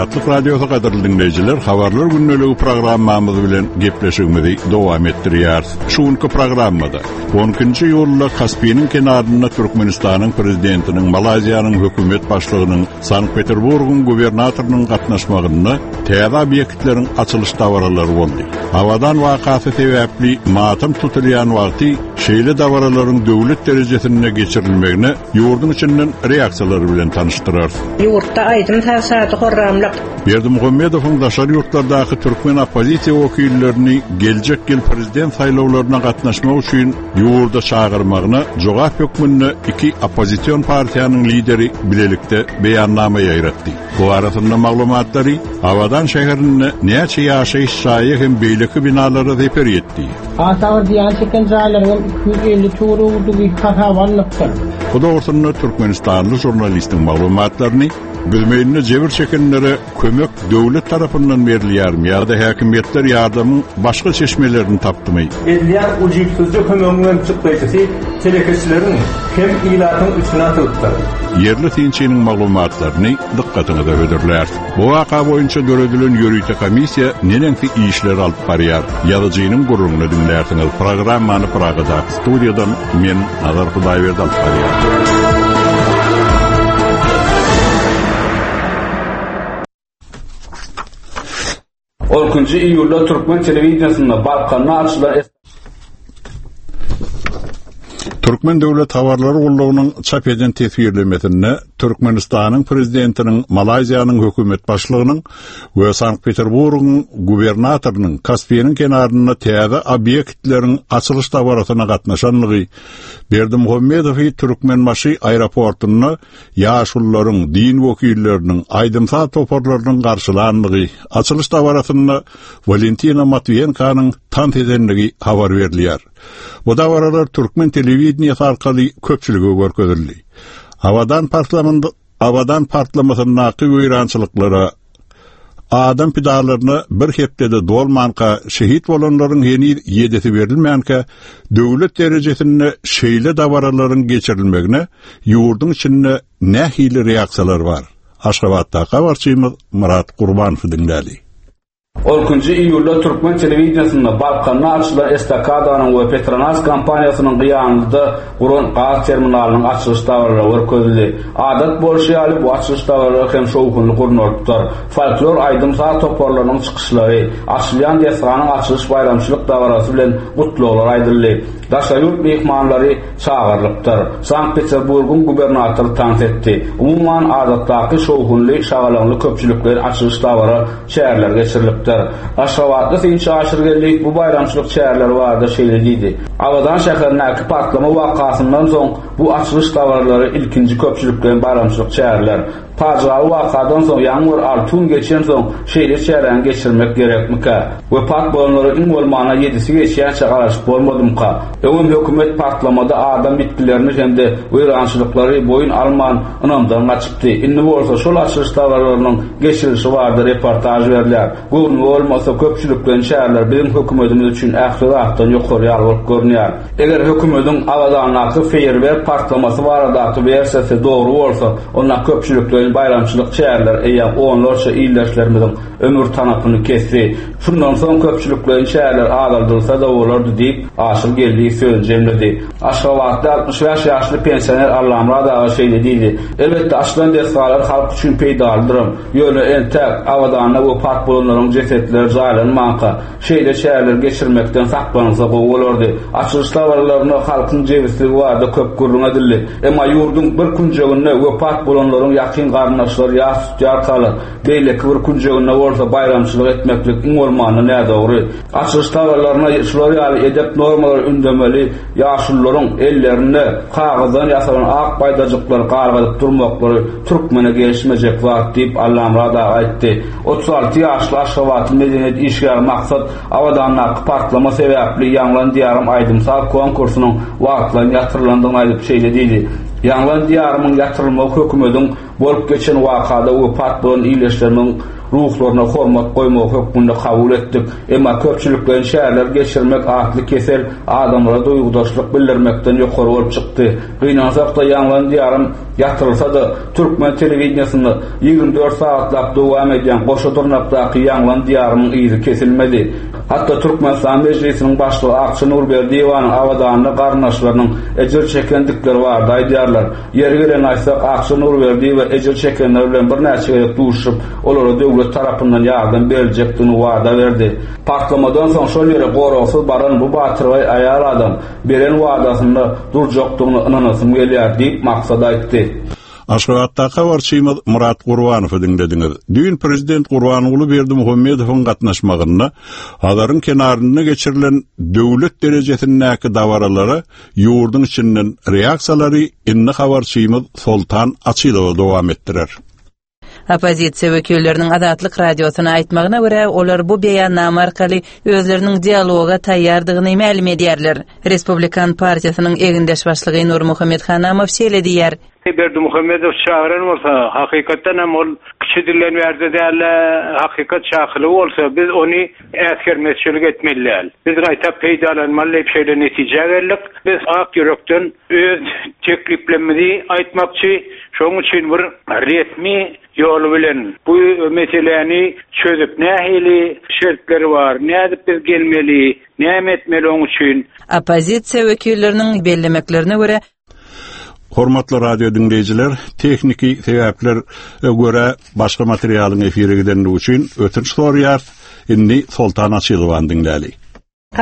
Azatlyk Radiosy gadyrly diňleýjiler, Habarlar gündeligi programmamyz bilen gepleşigimizi dowam etdirýäris. Şu günki programmada 12-nji iýulda Kaspiniň kenarynda Türkmenistanyň Prezidentiniň, Malaýziýanyň hökümet başlygynyň, Sankt-Peterburgyň gubernatorynyň gatnaşmagynda täze obýektleriň açylyş dabaralary boldy. Abadan wakasy sebäpli matam tutulýan wagty şeýle dabaralaryň döwlet derejesinde geçirilmegine ýurduň içinden reaksiýalar bilen tanyşdyrarys. Ýurtda aýdym-saz şady-horramlyk. Berdimuhamedowyň daşary ýurtlardaky türkmen oppozisiýa wekillerini geljek ýyl prezident saýlawlaryna gatnaşmak üçin ýurda çagyrmagyna jogap hökmünde iki oppozision partiýanyň lideri bilelikde beýannama ýaýratdy. Bu barasynda maglumatlary Abadan şäherinde näçe ýaşaýyş jaýy hem beýleki binalara zeper ýetdi? Has agyr zyýan çeken jaýlaryň hem 250 töweregidigi hasaba alnypdyr. Bu dogrusynda türkmenistanly žurnalistiň maglumatlaryny Büzmeýinde jebir çekenlere kömek döwlet tarapyndan berilýärmi ýa-da häkimiýetler ýardamyň başga çeşmelerini tapdymy? Edilýän ujypsyzja kömegiň hem çykdaýjysy telekeçileriň hem ilatyň üstüne atylypdyr. Ýerli synçynyň maglumatlaryny dykgatyňyza hödürläris. Bu waka boýunça döredilen ýörite komissiýa neneňsi işler alyp barýar? Ýazyjynyň gürrüňini diňlärsiňiz. Programmany Pragadaky studiýadan men, Nazar Hudaýberdi alyp barýan. On ikinji iýulda türkmen telewideniýesinde Balkanda açylan Türkmen döwlet habarlar gullugynyň çap eden teswirlemesinde Türkmenistanyň Prezidentiniň Malaýziýanyň hökümet başlygynyň we Sankt-Peterburgyň gubernatorynyň Kaspiniň kenarynda täze obýektleriň açylyş dabarasyna gatnaşanlygy, Berdimuhamedowy Türkmenbaşy aeroportunda ýaşulularyň, din wekilleriniň, aýdym-saz toparlarynyň garşylandygy, açylyş dabarasynda Walentina Matwiýenkanyň tans edendigi habar berilýär. Bu dabaralar türkmen telewideniýesi arkaly köpçülige görkezildi. Abadan partlamynda Abadan partlamasyndaky weýrançylyklara, adam pidalaryna bir hepde-de dolmanka, şehit bolanlaryň heniz ýedisi berilmänkä, döwlet derejesinde şeýle dabaralaryň geçirilmegine ýurduň içinde nähili reaksiýalar bar? Aşgabatdaky habarçymyz Myrat Gurbanowy diňläli. On ikinji iýulda türkmen telewideniýesinde Balkanda açylan estakadanyň we Petronas kompaniýasynyň Gyýanlyda guran gaz terminalynyň açylyş dabaralary görkezildi. Adat bolşy ýaly, bu açylyş dabaralary hem şowhunly gurnalypdyr. Folklor aýdym-saz toparlarynyň çykyşlary, açylýan desganyň açylyş baýramçylyk dabarasy bilen gutlaglar aýdyldy. Daşary ýurt myhmanlary çagyrylypdyr. Sankt-Peterburgyň gubernatory tans etdi. Umuman, adatdaky şowhunly, şagalaňly köpçülikleýin açylyş dabara çäreler geçirilipdir. Aşgabatly synçy Aşyr Geldiýew bu baýramçylyk çäreleri barada şeýle diýdi, Abadan şäherindäki partlama wakasyndan soň bu açylyş dabaralary ilkinji köpçülikleýin baýramçylyk çäreler. Pajygaly wakadan soň ýaňy bir alty gün geçensoň şeýle çäräni geçirmek gerekmikä? Wepat bolanlara iň bolmanda ýedisi geçýänçä garaşyp bolmadymyka? Öňem hökümet partlamada adam ýitgilerini hem-de weýrançylyklary boýun alman ynamdan gaçypdy. Indi bolsa şol açylyş dabaralarynyň geçirilişi barada reportaž berilýär. Göwnüme bolmasa köpçülikleýin çäreler biziň hökümetimiz üçin ähli zatdan ýokary ýaly bolup görünýär. Eger hökümediň Abadandaky feýerwerk partlamasy baradaky wersiýasy dogry bolsa, onda köpçülikleýin baýramçylyk çäreleri eýýäm onlarça ildeşlerimiziň ömür tanapyny kesdi. Şundan soň köpçülikleýin çäreler azaldylsa-da bolardy diýip, Aşyr Geldiýew sözüni jemledi. Aşgabatly 65 ýaşly pensioner Allamyrat aga şeýle diýdi, Elbetde, açylan desgalar halk üçin peýdalydyram. Ýöne entäk Abadanda wepat bolanlaryň jesetleri jaýlanmanka, Şeýle çäreleri geçirmekden saklanylsa gowy bolardy. Açylyş dabaralarynda halkyň jebisligi barada köp gürrüň edildi. Emma ýurduň bir künjeginde wepat bolanlaryň ýakyn garyndaşlary ýas tutýarkalar, beýleki bir künjeginde bolsa baýramçylyk etmeklik iň bolmanda nädogry. Açylyş dabaralarynda şular ýaly edep normalary ündemeli ýaşulularyň ellerinde kagyzdan ýasalan ak baýdajyklary galgadyp durmaklary türkmene gelişmejek zat diýip, Allamyrat aga aýtdy. 36 ýaşly aşgabatly medeniýet işgäri Maksat Abadandaky partlama sebäpli Ýaňlan Diýarym aýdym-saz konkursynyň wagtlaýyn ýatyrylandygyny aýdyp şeýle diýdi, Ýaňlan Diýarymyň ýatyrylmagy hökümediň bolup geçen wakada wepat bolan ildeşlerimiň. ruhlaryna hormat goýmagy hökmünde kabul etdik. Emma köpçülikleýin çäreler geçirmek atly kesel adamlara duýgudaşlyk bildirmekden ýokary bolup çykdy. Gynansak-da, Ýaňlan diýarym ýatyrylsa-da, türkmen telewideniýesinde 24 sagatlap dowam edýän goşa dyrnakdaky Ýaňlan diýarymyň yzy kesilmedi. Hatda Türkmenistan Mejlisiniň başlygy Akja Nurberdiýewanyň Abadanda garyndaşlarynyň ejir çekendikleri barada aýdýarlar. Ýeri gelende aýtsak, Akja Nurberdiýewa ejir çekenler bilen birnäçe gezek duşuşyp, olara döwlet tarapyndan ýardam beriljekdigini wada berdi. Partlamadan soň şol ýere goragsyz baran bu batyrgaý aýal adam beren wadasynda durjakdygyna ynanasym gelýär diýip, Maksat aýtdy. Aşgabatdaky habarçymyz Myrat Gurbanowy diňlediňiz. Düýn prezident Gurbanguly Berdimuhamedowyň gatnaşmagynda Hazaryň kenarynda geçirilen döwlet derejesindäki dabaralara ýurduň içinden reaksiýalary indi habarçymyz Soltan Açylowa dowam etdirer. Oppozisiýa wekilleriniň Azatlyk Radiosyna aýtmagyna görä, olar bu beýannama arkaly özleriniň dialoga taýýardygyny mälim edýärler. Respublikan partiýasynyň egindeş başlygy Nurmuhammet Hanamow şeýle diýýär. Berdimuhamedow çagyran bolsa, hakykatdan hem ol kiçi dilden bärde däl-de, hakykat çakylygy bolsa, biz ony äsgermezçilik etmeli däl. Biz gaýta peýdalanmaly diýip şeýle netijä geldik. Biz ak ýürekden öz tekliplerimizi aýtmakçy. Şonuň üçin bir resmi ýoly bilen bu meseläni çözüp, nähili şertleri bar, nädip biz gelmeli, näme etmeli oň üçin? Oppozisiýa wekilleriniň bellemeklerine görä, Hormatly radio diňleýjiler, tehniki sebäpler görä başga materialyň efire gidenligi üçin ötünç soraýarys. Indi Soltan Açylowany diňläli.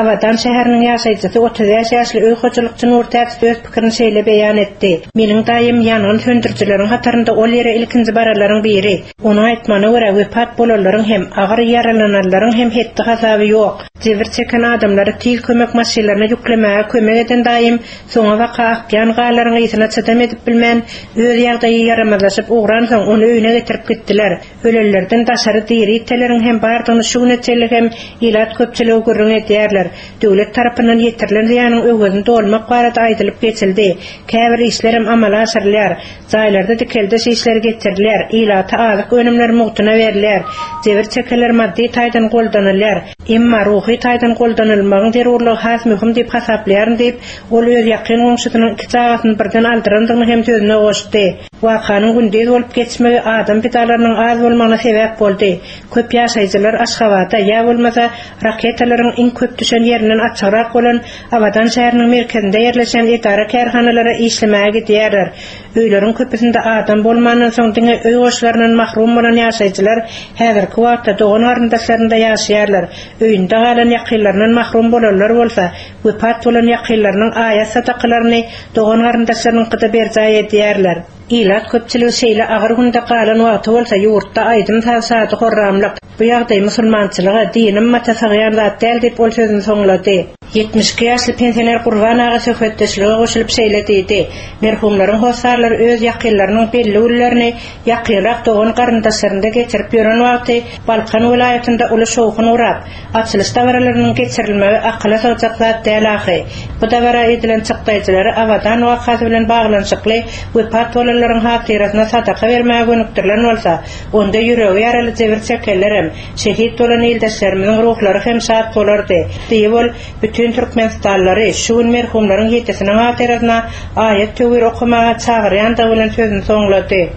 Abadan şäheriniň ýaşaýjysy 35 ýaşly öý hojalykçy Nurtäç öz pikirini şeýle beýan etdi, Meniň daýym ýangyn söndürijileriň hatarynda ol ýere ilkinji baranlaryň biri. Onuň aýtmagyna görä, wepat bolanlaryň hem, agyr ýaralananlaryň hem hetdi-hasaby ýok. Jebir çeken adamlary tiz kömek maşynlaryna ýüklemäge kömek eden daýym Soňabaka akýan garlaryň ysyna çydam edip bilmän, öz ýagdaýy ýaramazlaşyp ugransoň, ony öýüne getirip gitdiler. Ölenlerden daşary diri iteleriň hem bardygyny şu güne çenli hem ilat köpçüligi gürrüň edýärler. Döwlet tarapyndan ýetirilen zyýanyň öwezini dolmak barada aýdylyp geçildi. Käbir işlerem amala aşyrylýar. Jaýlarda dikeldiş işleri geçirilýär, ilata azyk önümleri mugtuna berilýär, jebir çekenler maddy taýdan goldanylýar. Emma ruhy taýdan goldanylmagyň zerurlygy has möhüm diýip hasaplaýaryn diýip, ol öz ýakyn goňşusynyň iki çagasyny birden aldyrandygyny hem sözüne goşdy. Wakanyň gündiz bolup geçmegi adam pidalarynyň az bolmagyna sebäp boldy. Köp ýaşaýjylar Aşgabada, ýa bolmasa, raketalaryň iň köp düşen ýerinden açygrak bolan Abadan şäheriniň merkezinde ýerleşen edara-kärhanalara işlemäge gidýärler. Öýleriň köpüsinde adam bolmandan soň diňe öý goşlaryndan mahrum bolan ýaşaýjylar häzirki wagtda dogan-garyndaşlarynda ýaşaýarlar. Öýünde galan ýakynlaryndan mahrum bolanlar bolsa, wepat bolan ýakynlarynyň aýat-sadakalaryny dogan-garyndaşlarynyňkyda berjaý edýärler. Ilat köpçüligi şeýle agyr günde galan wagty bolsa ýurtda aýdym-saz şady-horramlyk. Bu ýagdaý musulmançylyga, dini ymmata sygýan zat däl diýip ol sözüni soňlady. 72 ýaşly pensioner Gurban aga söhbetdeşlige goşulyp şeýle diýdi, Merhumlaryň hossarlary öz ýakynlarynyň belli günlerini ýakynrak dogan-garyndaşlarynda geçirip ýören wagty Balkan welaýatynda uly şowhun gurap, açylyş dabaralarynyň geçirilmegi akyla sygjak zat däl ahyry. Bu dabara edilen çykdaýjylary Abadan wakasy bilen baglanyşykly wepat bolanlaryň hatyrasyna sadaka bermäge gönükdirilen bolsa, onda ýüregi ýaraly jebir çekenlerem, şehit bolan ildeşlerimiziň ruhlary hem şat bolardy, diýip ol bütin türkmenistanlylary şu gün merhumlaryň ýedisiniň hatyrasyna aýat-töwir okamaga çagyrýandygy bilen sözüni soňlady.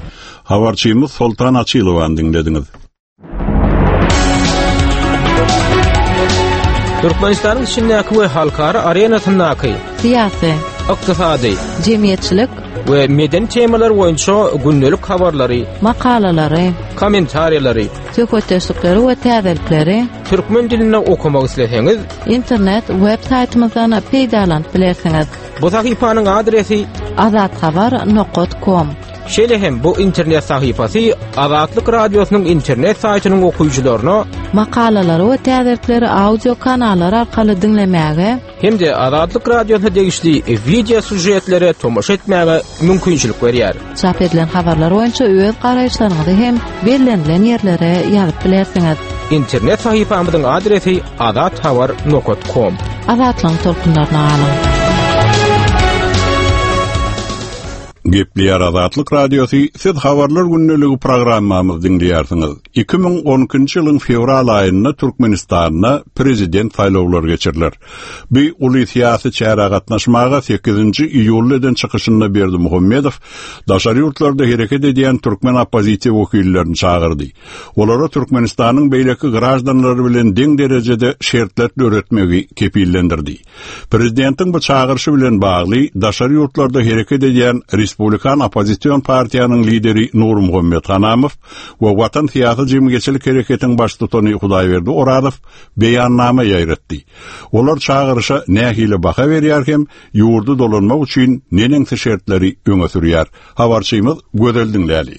Habarçymyz Soltan Açylowany diňlediňiz. Türkmenistanyň içindäki we halkara arenasyndaky syýasy, ykdysady, jemgyýetçilik we medeni temalar boýunça gündelik habarlary, makalalary, kommentariýalary, söhbetdeşlikleri we täzelikleri türkmen dilinde okamak isleseňiz, internet web saýtymyzdan peýdalanyp bilersiňiz. Bu sahypanyň adresi azathabar nokat kom. Şeýle hem bu internet sahypasy Azatlyk Radiosynyň internet saýtynyň okyjylaryna makalalary we täzelikleri audio kanallar arkaly diňlemäge hem-de Azatlyk Radiosyna degişli wideo sýužetlere tomaşa etmäge mümkinçilik berýär. Çap edilen habarlar boýunça öz garaýyşlaryňyzy hem bellenilen ýerlere ýazyp bilersiňiz. Internet sahypamyzyň adresi azathabar nokat kom. Azatlygyň tolkunlaryna galyň! Gepleýär Azatlyk Radiosy, siz Habarlar gündeligi programmamyzy diňleýärsiňiz. 2012-nji ýylyň fewral aýynda Türkmenistanda prezident saýlawlary geçiriler. Bu uly syýasy çärä gatnaşmaga sekizinji iýulda eden çykyşynda Berdimuhamedow daşary ýurtlarda hereket edýän türkmen oppozisiýa wekillerini çagyrdy. Olara Türkmenistanyň beýleki graždanlary bilen deň derejede şertler döretmegi kepillendirdi. Prezidentiň bu çagyryşy bilen bagly daşary ýurtlarda hereket edýän Respublikan oppozision partiýanyň lideri Nurmuhammet Hanamow we Watan syýasy-jemgyýetçilik hereketiň baştutany Hudaýberdi Orazow beýannama ýaýratdy. Olar çagyryşa nähili baha berýär hem ýurda dolanmak üçin neneňsi şertleri öňe sürýär? Habarçymyz Gözel diňläli.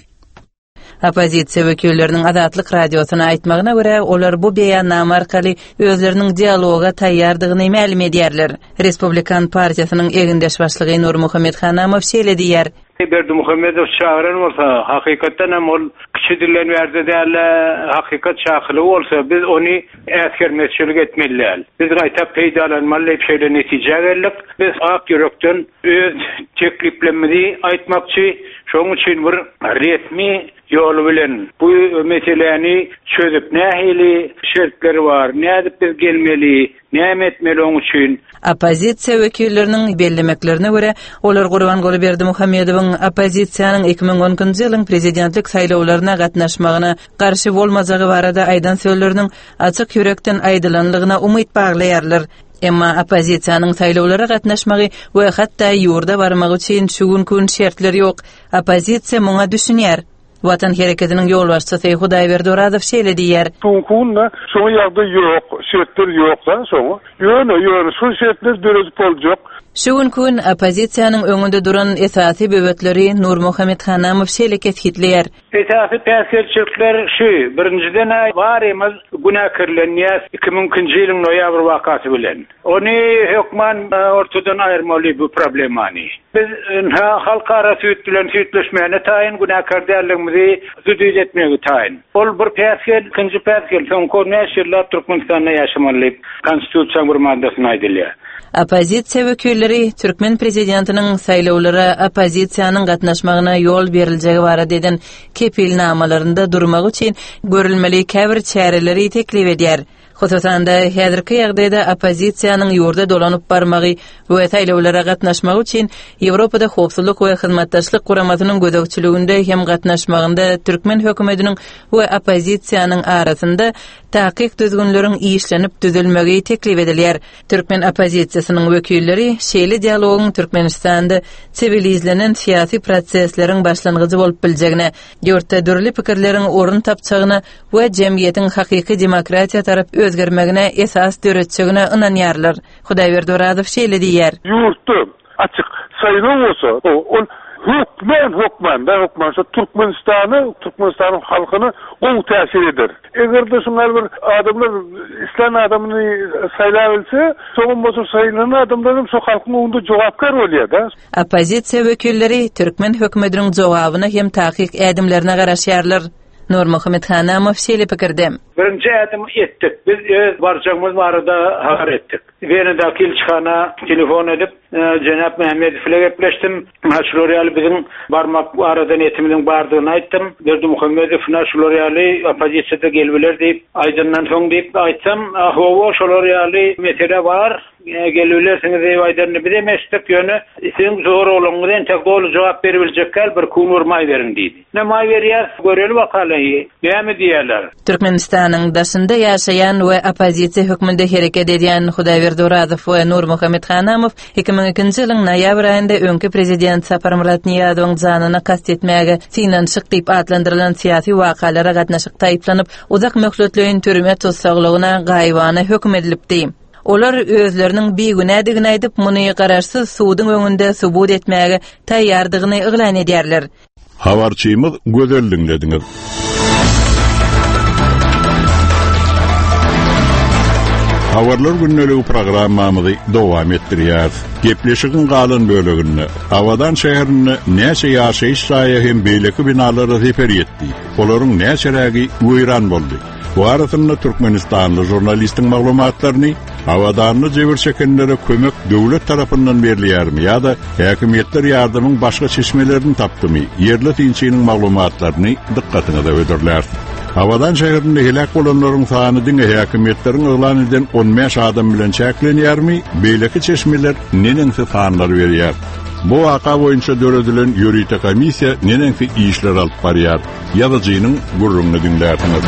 Oppozisiýa wekilleriniň Azatlyk Radiosyna aýtmagyna görä, olar bu beýannama arkaly özleriniň dialoga taýýardygyny mälim edýärler. Respublikan partiýasynyň egindeş başlygy Nurmuhammet Hanamow şeýle diýýär. Berdimuhamedow çagyran bolsa, hakykatdan hem ol kiçi dilden bärde däl-de, hakykat çakylygy bolsa, biz ony äsgermezçilik etmeli däl. Biz gaýta peýdalanmaly diýip şeýle netijä geldik. Biz ak ýürekden öz tekliplerimizi aýtmakçy. Şonuň üçin bir resmi ýoly bilen bu meseläni çözüp nähili şertleri bar, nädip biz gelmeli, näme etmeli oň üçin? Oppozisiýa wekilleriniň bellemeklerine görä, olar Gurbanguly Berdimuhamedowyň oppozisiýanyň 2012-nji ýylyň prezidentlik saýlawlaryna gatnaşmagyna garşy bolmajagy barada aýdan sözleriniň açyk ýürekden aýdylanlygyna umyt baglaýarlar. Emma oppozisiýanyň saýlawlara gatnaşmagy we hatda ýurda barmagy üçin şu günki gün şertler ýok. Oppozisiýa muňa düşünýär. Watan hereketiniň ýolbaşçysy Hudaýberdi Orazow şeýle diýýär. Şu günki günde şoňa ýagdaý ýok, şertler ýok-da şoňa. Ýöne, ýöne şol şertleri döredip boljak. Şu günki gün oppozisiýanyň öňünde duran esasy böwetleri Nurmuhammet Hanamow şeýle kesgitleýär. Esasy päsgelçilikler şu, birinjiden-ä barymyz günäkärlenýäs 2002-nji ýylyň noýabr wakasy bilen. Ony hökman ortadan aýyrmaly bu problemany. Biz ynha halkara süýt bilen süýtleşmäne taýyn, günäkär däldigimizi subut etmegi taýyn. Ol bir päsgel, ikinji päsgel, soňky on bäş ýyllap Türkmenistanda ýaşamaly diýip Konstitusiýaň bir maddasynda aýdylýar. Oppozisiýa wekilleri türkmen prezidentiniň saýlawlara oppozisiýanyň gatnaşmagyna ýol beriljegi barada eden kepilnamalarynda durmagy üçin görülmeli käbir çäreleri teklip edýär. Hususan-da, häzirki ýagdaýda oppozisiýanyň ýurda dolanyp barmagy we saýlawlara gatnaşmagy üçin Ýewropada Howpsuzlyk we Hyzmatdaşlyk Guramasynyň gözegçiliginde hem gatnaşmagynda türkmen hökümetiniň we oppozisiýanyň arasynda takyk düzgünleriň işlenip düzülmegi teklip edilýär. Türkmen oppozisiýasynyň wekilleri şeýle dialogyň Türkmenistanda siwilizlenen syýasy prosesleriň başlangyjy bolup biljegine, ýurtda dürli pikirleriň orun tapjagyna we jemgyýetiň hakyky demokratiýa tarap özgermegine esas döretjegine ynanýarlar. Hudaýberdi Orazow şeýle diýýär. Ýurtda açyk saýlaw bolsa, ol hökman, hökman, da hökman şo Türkmenistana, Türkmenistanyň halkyna gowy täsir eder. Eger-de şuňa bir adamlar islän adamyny saýlabilse, soňam bolsa saýlanan adamlar hem şo halkyň öňünde jogapkär bolýar-da. Oppozisiýa wekilleri türkmen hökümetiniň jogabyna hem takyk ädimlerine garaşýarlar. Nurmuhammet Hanamow şeýle pikirde. Birinji ädimi etdik. Biz öz barjagymyz barada habar etdik. Wenadaky ilçihana telefon edip, jenap Mämmedow ile gepleşdim. Ynha şular ýaly biziň barmak barada niýetimiziň bardygyny aýtdym. Berdimuhamedow ynha şular ýaly oppozisiýada gelibiler diýip aýdandan soň diýip aýtsam, hawa şolar ýaly mesele bar, gelibilersiňiz diýip aýdanyny bizem eşitdik, ýöne siziň soraglaryňyza entek doly jogap beribiljek däl, birki gün bir maý beriň diýdi. Ine maý berýäs, göreli bakaly, näme diýerler. Türkmenistanyň daşynda ýaşaýan we oppozisiýa hökmünde hereket edýän Hudaýberdi Orazow we Nurmuhammet Hanamow 2002-nji ýylyň noýabr aýynda öňki prezident Saparmyrat Nyýazowyň janyna kast etmäge synanyşyk diýip atlandyrylan syýasy wakalara gatnaşykda aýyplanyp, uzak möhletleýin türme tussaglygyna gaýybana höküm edilipdi. Olar özleriniň bigünädigini aýdyp, muny garaşsyz suduň öňünde subut etmäge taýýardygyny yglan edýärler. Habarçymyz Gözel diňlediňiz. Habarlar gündeligi programmamyzy dowam etdirýäris. Gepleşigiň galan böleginde Abadan şäherinde näçe ýaşaýyş jaýa hem beýleki binalara zeper ýetdi? Olaryň näçerägi weýran boldy? Bu arasynda türkmenistanly žurnalistiň maglumatlaryny. Abadanda jebir çekenlere kömek döwlet tarapyndan berilýärmi ýa-da häkimiýetler ýardamyň başga çeşmelerini tapdymy? Ýerli synçynyň maglumatlaryny dykgatyňyza hödürläris. Abadan şäherinde heläk bolanlaryň sany diňe häkimiýetleriň yglan eden 15 adam bilen çäklenýärmi? Beýleki çeşmeler neneňsi sanlar berýär? Bu waka boýunça döredilen ýörite komissiýa neneňsi işler alyp barýar? Ýazyjynyň gürrüňini diňlärsiňiz.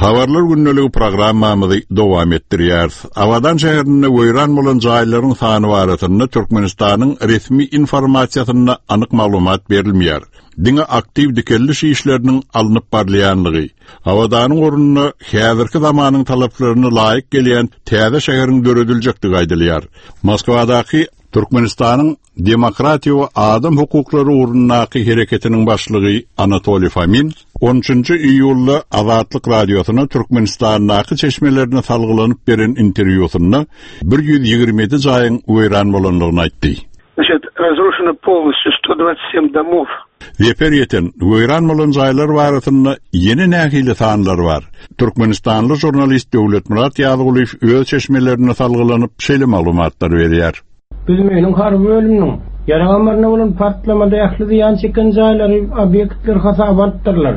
Habarlar gündeligi programmamyzy dowam etdirýäris. Abadan şäherinde weýran bolan jaýlaryň sany barasynda Türkmenistanyň resmi informasiýasynda anyk maglumat berilmeýär. Diňe aktiw dikeldiş işleriniň alnyp barylýanlygy, Abadanyň ornuna häzirki zamanyň talaplaryna laýyk gelýän täze şäheriň dörediljekdigi aýdylýar. Moskwadaky Türkmenistanyň Demokratiýa we adam hukuklary ugrundaky hereketiniň başlygy Anatoliý Fomin on üçünji iýulda Azatlyk Radiosyna Türkmenistandaky çeşmelerine salgylanyp beren interwýusynda 127 jaýyň weýran bolandygyny aýtdy. Значит, разрушено полностью 127 домов. Zeper ýeten, weýran bolan jaýlar barasynda ýene nähili sanlar bar? Türkmenistanly žurnalist Döwletmyrat Ýazgulyýew öz çeşmelerine salgylanyp şeýle maglumatlary berýär. Büzmeýiniň harby bölüminiň ýarag ammarynda bolan partlamada ähli zyýan çeken jaýlary, obýektleri hasaba alypdyrlar.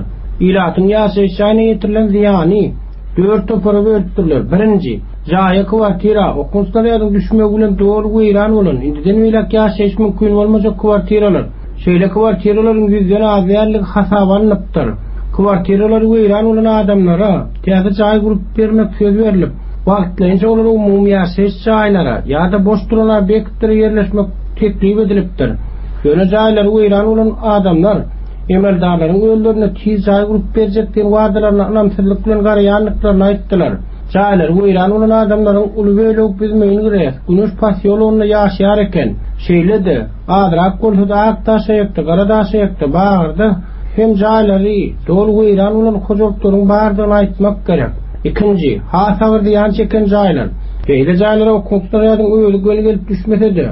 Ilatyň ýaşaýyş jaýyna ýetirilen zyýany dört topara bölüpdirler. Birinji, jaýa, kwartira, okuw snarýadyň düşmegi bilen doly weýran bolan, indiden beýläk ýaşaýyş mümkin bolmajak kwartiralar. Şeýle kwartiralaryň ýüzden az däldigi hasaba alnypdyr. Kwartiralary weýran bolan adamlara täze jaý gurup bermek söz berlip, Wagtlaýynça olara umumy ýaşaýyş jaýlara ýa-da boş duran obýektlere ýerleşmek teklip edilipdir. Ýöne jaýlary weýran bolan adamlar emeldarlaryň özlerine tiz jaý gurup berjek diýen wadalaryna ynamsyzlyk bilen garaýandyklaryny aýtdylar. Jaýlary weýran bolan adamlaryň uly bölegi Büzmeýin GRES, Güneş posýologynda ýaşaýar eken. Şeýle-de, azrak bolsa-da Ak Daşaýakda, Gara Daşaýakda, Bagyrda hem jaýlary doly weýran bolan hojalyklaryň bardygyny aýtmak gerek. Ikinji, has agyr zyýan çeken jaýlar. Beýle jaýlara okuw snarýadyň özi göni gelip düşmese-de,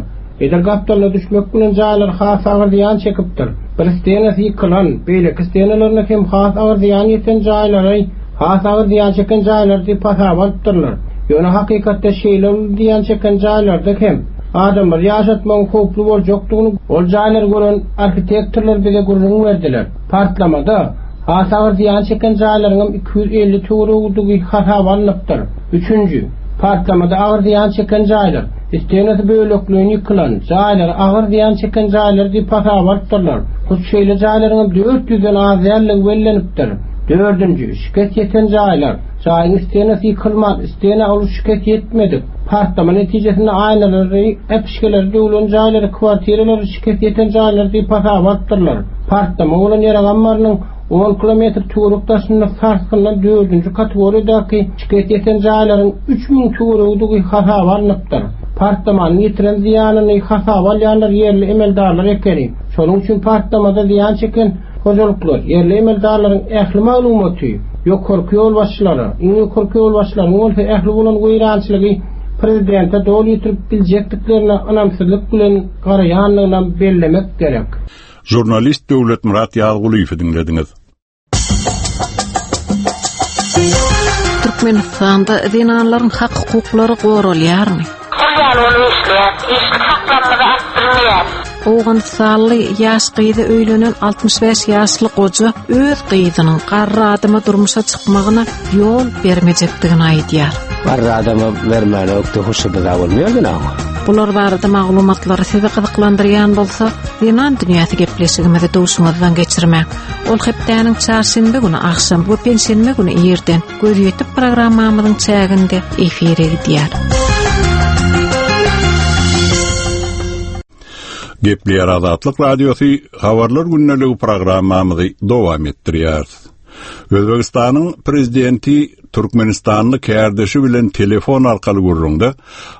edil gapdalyna düşmek bilen jaýlar has agyr zyýan çekipdir. Bir stenasy ýykylan, beýleki stenalaryna hem has agyr zyýan ýeten jaýlary has agyr zyýan çeken jaýlar diýip hasaba alypdyrlar. Ýöne hakykatda şeýle uly zyýan çeken jaýlarda hem adamlary ýaşatmagyň howply boljakdygyny ol jaýlary gören arhitektorlar bize gürrüň berdiler. Partlamada Has agyr zyýan çeken jaýlaryňam 250 töweregidigi hasaba alnypdyr. Üçünji, partlamada agyr zyýan çeken jaýlar, stenasy bölekleýin ýykylan, jaýlary agyr zyýan çeken jaýlar diýip hasaba alypdyrlar. Hut şeýle jaýlaryňam 400-den az däldigi bellenipdir. Dördünji, şikes ýeten jaýlar, jaýyň stenasy ýykylman, stena uly şikes ýetmedik, partlama netijesinde aýnalary, äpişgeleri döwlen jaýlary, kwartiralary şikes ýeten jaýlar diýip hasaba alypdyrlar. Partlama bolan ýarag ammarynyň on kilometr töwerek daşynda sarsgyndan dördünji kategoriýadaky şikes ýeten jaýlaryň 3000 töweregidigi hasaba alnypdyr. Partlamanyň ýetiren zyýanyny hasaba alýanlar ýerli emeldarlar ekeni. Şonuň üçin partlamada zyýan çeken hojalyklar, ýerli emeldarlaryň ähli maglumaty ýokarky ýolbaşçylara, iň ýokarky ýolbaşçylaryň bolsa ähli bolan weýrançylygy prezidente doly ýetirip biljekdiklerine ynamsyzlyk bilen garaýandygynam bellemek gerek. Žurnalist Döwletmyrat Ýazgulyýewi diňlediňiz. Türkmenistanda zenanlaryň hak-hukuklary goralýarmy? Pul ýaly bolup işleýäs. Işlik haklarymyzy alyp bilmeýäs. Owganystanly ýaş gyza öýlenen 65 ýaşly goja öz gyzynyň garry adama durmuşa çykmagyna ýol bermejekdigini aýdýar. Garry adama bermäne ökde huşy-byza bolmaýar gene oňa. Bular barada maglumatlar sizi gyzyklandyrýan bolsa, Zenan dünýäsi gepleşigimizi duşuňyzdan geçirmäň. Ol hepdäniň çarşenbe güni agşam we penşenbe güni irden Gözýetim programmamyzyň çäginde efire gidýär. Gepleýär Azatlyk Radiosy Habarlar gündeligi programmamyzy dowam etdirýäris. Özbegistanyň prezidenti türkmenistanly kärdeşi bilen telefon arkaly gürrüňde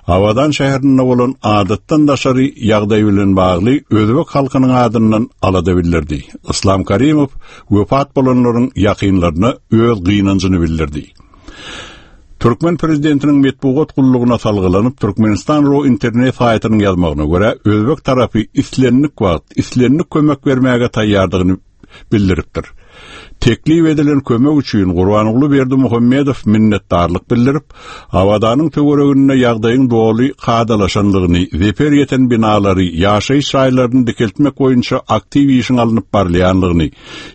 Abadan şäherinde bolan adatdan daşary ýagdaý bilen bagly özbek halkynyň adyndan alada bildirdi. Yslam Karimow wepat bolanlaryň ýakynlaryna öz gynanjyny bildirdi. Türkmen prezidentiniň metbugat gullugyna salgylanyp, Türkmenistan ro internet saýtynyň ýazmagyna görä, özbek tarapy islendik wagt, islendik kömek bermäge taýýardygyny bildiripdir. Teklip edilen kömek üçin Gurbanguly Berdimuhamedow minnetdarlyk bildirip, Abadanyň töwereginde ýagdaýyň doly kadalaşandygyny, zeper ýeten binalary, ýaşaýyş jaýlaryny dikeltmek boýunça aktiw işiň alnyp barylýandygyny,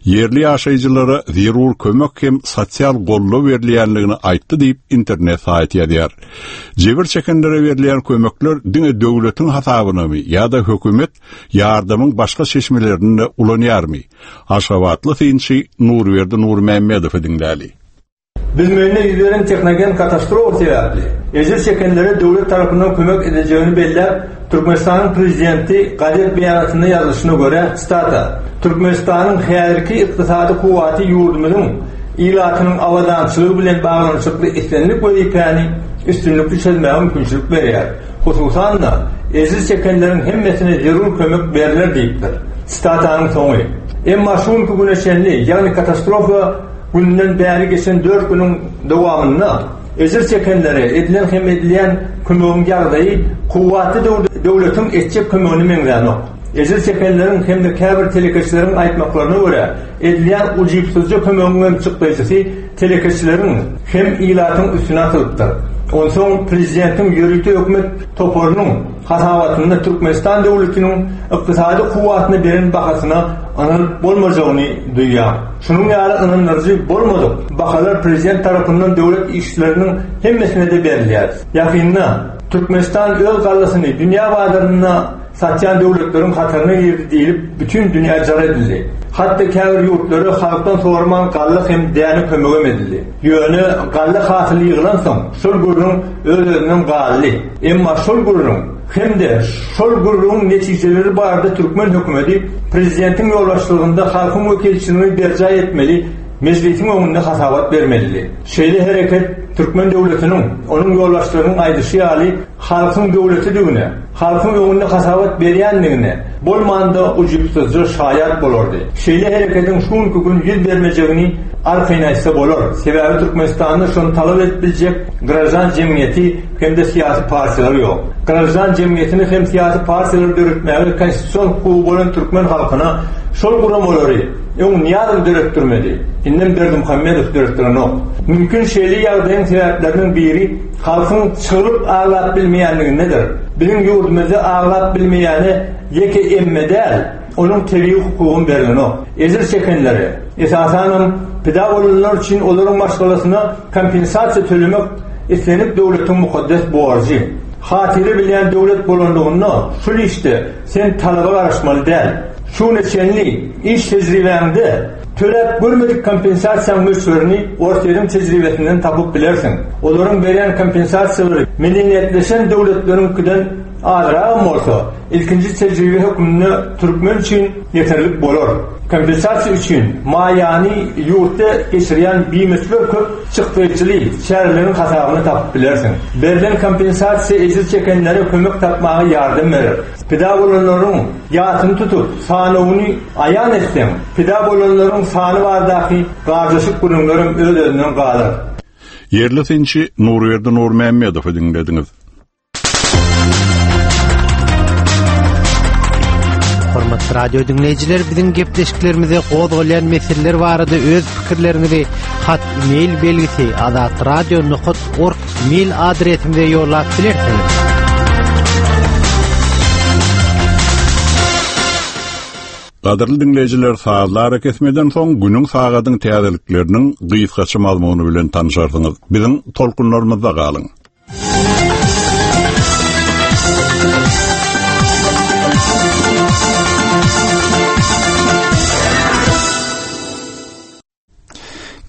ýerli ýaşaýjylara zerur kömek hem sosial goldaw berilýändigini aýtdy diýip, internet saýty ýazýar. Jebir çekenlere berilýän kömekler diňe döwletiň hasabynamy ýa-da hökümet ýardamyň başga çeşmelerini-de ulanýarmy? Aşgabatly synçy Nurberdi Nurmämmedowy diňläli. Büzmeýinde ýüz beren tehnogen katastrofa sebäpli, ejir çekenlere döwlet tarapyndan kömek ediljegini belläp, Türkmenistanyň Prezidenti gazet beýanatynda ýazylyşyna görä, sitata, Türkmenistanyň häzirki ykdysady kuwwaty ýurdumyzyň ilatynyň abadançylygy bilen baglanyşykly islendik wezipäni üstünlikli çözmäge mümkinçilik berýär. Hususan-da, ejir çekenleriň hemmesine zerur kömek berler diýipdir. Sitatanyň soňy. Emma şu günki güne çenli, ýagny katastrofa gününden bäri geçen dört günüň dowamynda ejir çekenlere edilen hem edilýän kömegiň ýagdaýy kuwwatly döwletiň etjek kömegine meňzänok. Ejir çekenleriň hem-de käbir telekeçileriň aýtmaklaryna görä, edilýän ujypsyzja kömegiň hem çykdajysy telekeçileriň hem ilatyň üstüne atylypdyr. Onsoň prezidentiň ýörite hökümet toparynyň hasabatynda Türkmenistan döwletiniň ykdysady kuwwatyna beren bahasyna ynanyp bolmajagyny duýýar. Şunuň ýaly ynandyryjy bolmadyk bahalar prezident tarapyndan döwlet işçileriniň hemmesine-de berilýär. Ýakynda Türkmenistan öz gallasyny dünýä bazarynda satýan döwletleriň hataryna girdi diýlip, bütin dünýä jar edildi. Hatda käbir ýurtlara halkdan soraman galla hem däne kömegem edildi. Ýöne galla hasyly ýygylansoň, şol gürrüň öz-özünden galdy. Emma şol gürrüň hem-de şol gürrüňiň netijeleri barada türkmen hökümeti prezidentiň ýolbaşçylygynda halkyň wekilçiligini berjaý etmeli Mejlisiň öňünde hasabat bermelidi. Şeýle hereket türkmen döwletiniň, onuň ýolbaşçylarynyň aýdyşy ýaly, halkyň döwletidigine, halkyň öňünde hasabat berýändigine bolmanda ujypsyzja şaýat bolardy. Şeýle hereketiň şu günki gün ýüz bermejegini arkaýyn aýtsa bolar. Sebäbi Türkmenistanda şony talap edip biljek graždan jemgyýeti hem-de syýasy partiýalar ýok. Graždan jemgyýetini hem syýasy partiýalary döretmäge konstitusion hukugy bolan türkmen halkyna şol guramalary öň Nyýazow döretdirmedi, indem Berdimuhamedow döretdirenok. Mümkin şeýle ýagdaýyň sebäpleriniň biri halkyň çygyryp aglap bilmeýänligindedir. Biziň ýurdumyzda aglap bilmeýäne ýeke emme däl, onuň tebigy hukugam berlenok. Ejir çekenlere, esasanam pida bolanlar üçin olaryň maşgalasyna kompensasiýa tölemek islendik döwletiň mukaddes borjy. Hatyra bilýän döwlet bolanlygynda şul işde sen talaba garaşmaly däl. Şu güne çenli iş tejribäňde töläp görmedik kompensasiýaň möçberini Orsýetiň tejribesinden tapyp bilersiň. Olaryň berýän kompensasiýalary medeniýetleşen döwletleriňkiden azragam bolsa, ilkinji tejribe hökmünde türkmen üçin ýeterlik bolar. Kompensasiýa üçin maýany ýurtda geçirýän bimöçber köp çykdaýjyly çäreleriň hasabyny tapyp bilersiň. Berlen kompensasiýa ejir çekenlere kömek tapmaga ýardam berer. Pida bolanlaryň ýasyny tutup, sanawyny aýan etseň, pida bolanlaryň sany baradaky garjaşyk gürrüňlerem öz-özünden galar. Ýerli synçy Nurberdi Nurmämmedowy diňlediňiz. Hormatly radio diňleýjiler, biziň gepleşiklerimize gozgalýan meseleler barada öz pikirleriňizi hat mail belgisi azatradio.org mail adresimize ýollap bilersiňiz. Gadyrly diňleýjiler, sazly arakesmeden soň günüň sagadyň täzelikleriniň gysgaça mazmuny bilen tanşarsyňyz. Biziň tolkunlarymyzda galyň.